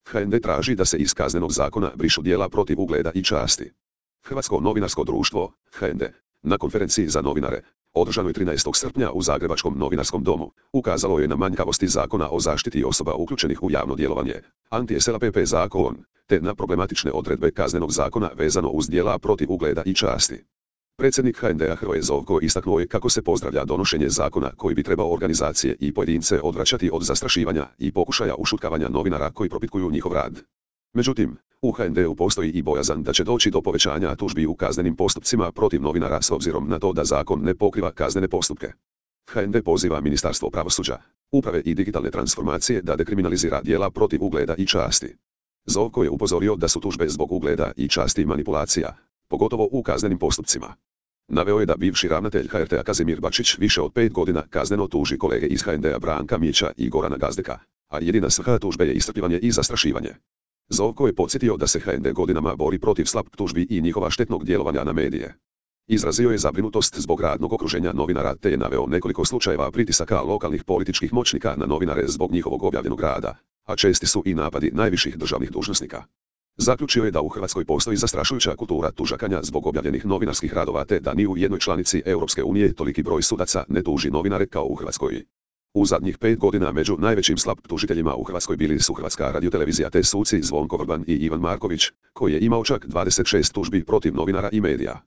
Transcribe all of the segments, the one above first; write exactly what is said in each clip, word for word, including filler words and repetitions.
H N D traži da se iz Kaznenog zakona brišu djela protiv ugleda i časti. Hrvatsko novinarsko društvo, H N D, na konferenciji za novinare, održanoj trinaestog srpnja u Zagrebačkom novinarskom domu, ukazalo je na manjkavosti Zakona o zaštiti osoba uključenih u javno djelovanje, anti-S L A P P zakon, te na problematične odredbe Kaznenog zakona vezano uz djela protiv ugleda i časti. Predsjednik H N D-a Hrvoje Zovko istaknuo je kako se pozdravlja donošenje zakona koji bi trebao organizacije i pojedince odvraćati od zastrašivanja i pokušaja ušutkavanja novinara koji propitkuju njihov rad. Međutim, u H N D-u postoji i bojazan da će doći do povećanja tužbi u kaznenim postupcima protiv novinara s obzirom na to da zakon ne pokriva kaznene postupke. H N D poziva Ministarstvo pravosuđa, uprave i digitalne transformacije da dekriminalizira djela protiv ugleda i časti. Zovko je upozorio da su tužbe zbog ugleda i časti manipulacija, pogotovo u kaznenim postupcima. Naveo je da bivši ravnatelj H R T-a Kazimir Bačić više od pet godina kazneno tuži kolege iz H N D-a Branka Mića i Gorana Gazdeka, a jedina svrha tužbe je iscrpljivanje i zastrašivanje. Zovko je podsjetio da se H N D godinama bori protiv slab tužbi i njihova štetnog djelovanja na medije. Izrazio je zabrinutost zbog radnog okruženja novinara te je naveo nekoliko slučajeva pritisaka lokalnih političkih moćnika na novinare zbog njihovog objavljenog rada, a česti su i napadi najviših državnih dužnosnika. Zaključio je da u Hrvatskoj postoji zastrašujuća kultura tužakanja zbog objavljenih novinarskih radova te da ni u jednoj članici Europske unije toliki broj sudaca ne tuži novinare kao u Hrvatskoj. U zadnjih pet godina među najvećim slab tužiteljima u Hrvatskoj bili su Hrvatska radiotelevizija te suci Zvonko Vrban i Ivan Marković, koji je imao čak dvadeset šest tužbi protiv novinara i medija.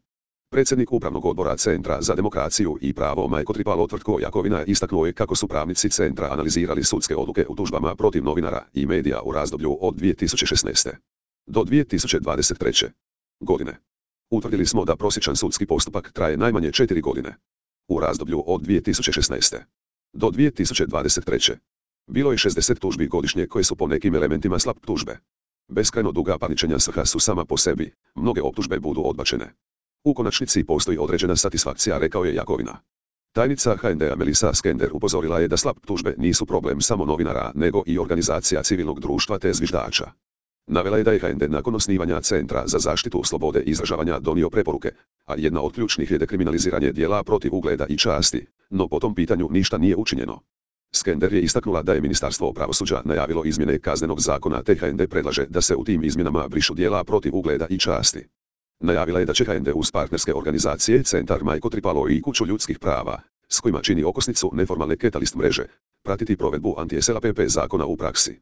Predsjednik Upravnog odbora Centra za demokraciju i pravo Majko Tripalo Tvrtko Jakovina istaknuo je kako su pravnici centra analizirali sudske odluke u tužbama protiv novinara i medija u razdoblju od dvije tisuće šesnaeste. do dvije tisuće dvadeset treće. godine. Utvrdili smo da prosječan sudski postupak traje najmanje četiri godine. U razdoblju od dvije tisuće šesnaeste. do dvije tisuće dvadeset treće. bilo je šezdeset tužbi godišnje koje su po nekim elementima slab tužbe. Beskrajno duga parničenja svrha su sama po sebi, mnoge optužbe budu odbačene. U konačnici postoji određena satisfakcija, rekao je Jakovina. Tajnica H N D-a Melisa Skender upozorila je da slab tužbe nisu problem samo novinara nego i organizacija civilnog društva te zviždača. Navela je da je H N D nakon osnivanja Centra za zaštitu slobode izražavanja donio preporuke, a jedna od ključnih je dekriminaliziranje djela protiv ugleda i časti, no po tom pitanju ništa nije učinjeno. Skender je istaknula da je Ministarstvo pravosuđa najavilo izmjene Kaznenog zakona te H N D predlaže da se u tim izmjenama brišu djela protiv ugleda i časti. Najavila je da će H N D uz partnerske organizacije Centar Majko Tripalo i Kuću ljudskih prava, s kojima čini okosnicu neformalne Catalyst mreže, pratiti provedbu anti-S L A P P zakona u praksi.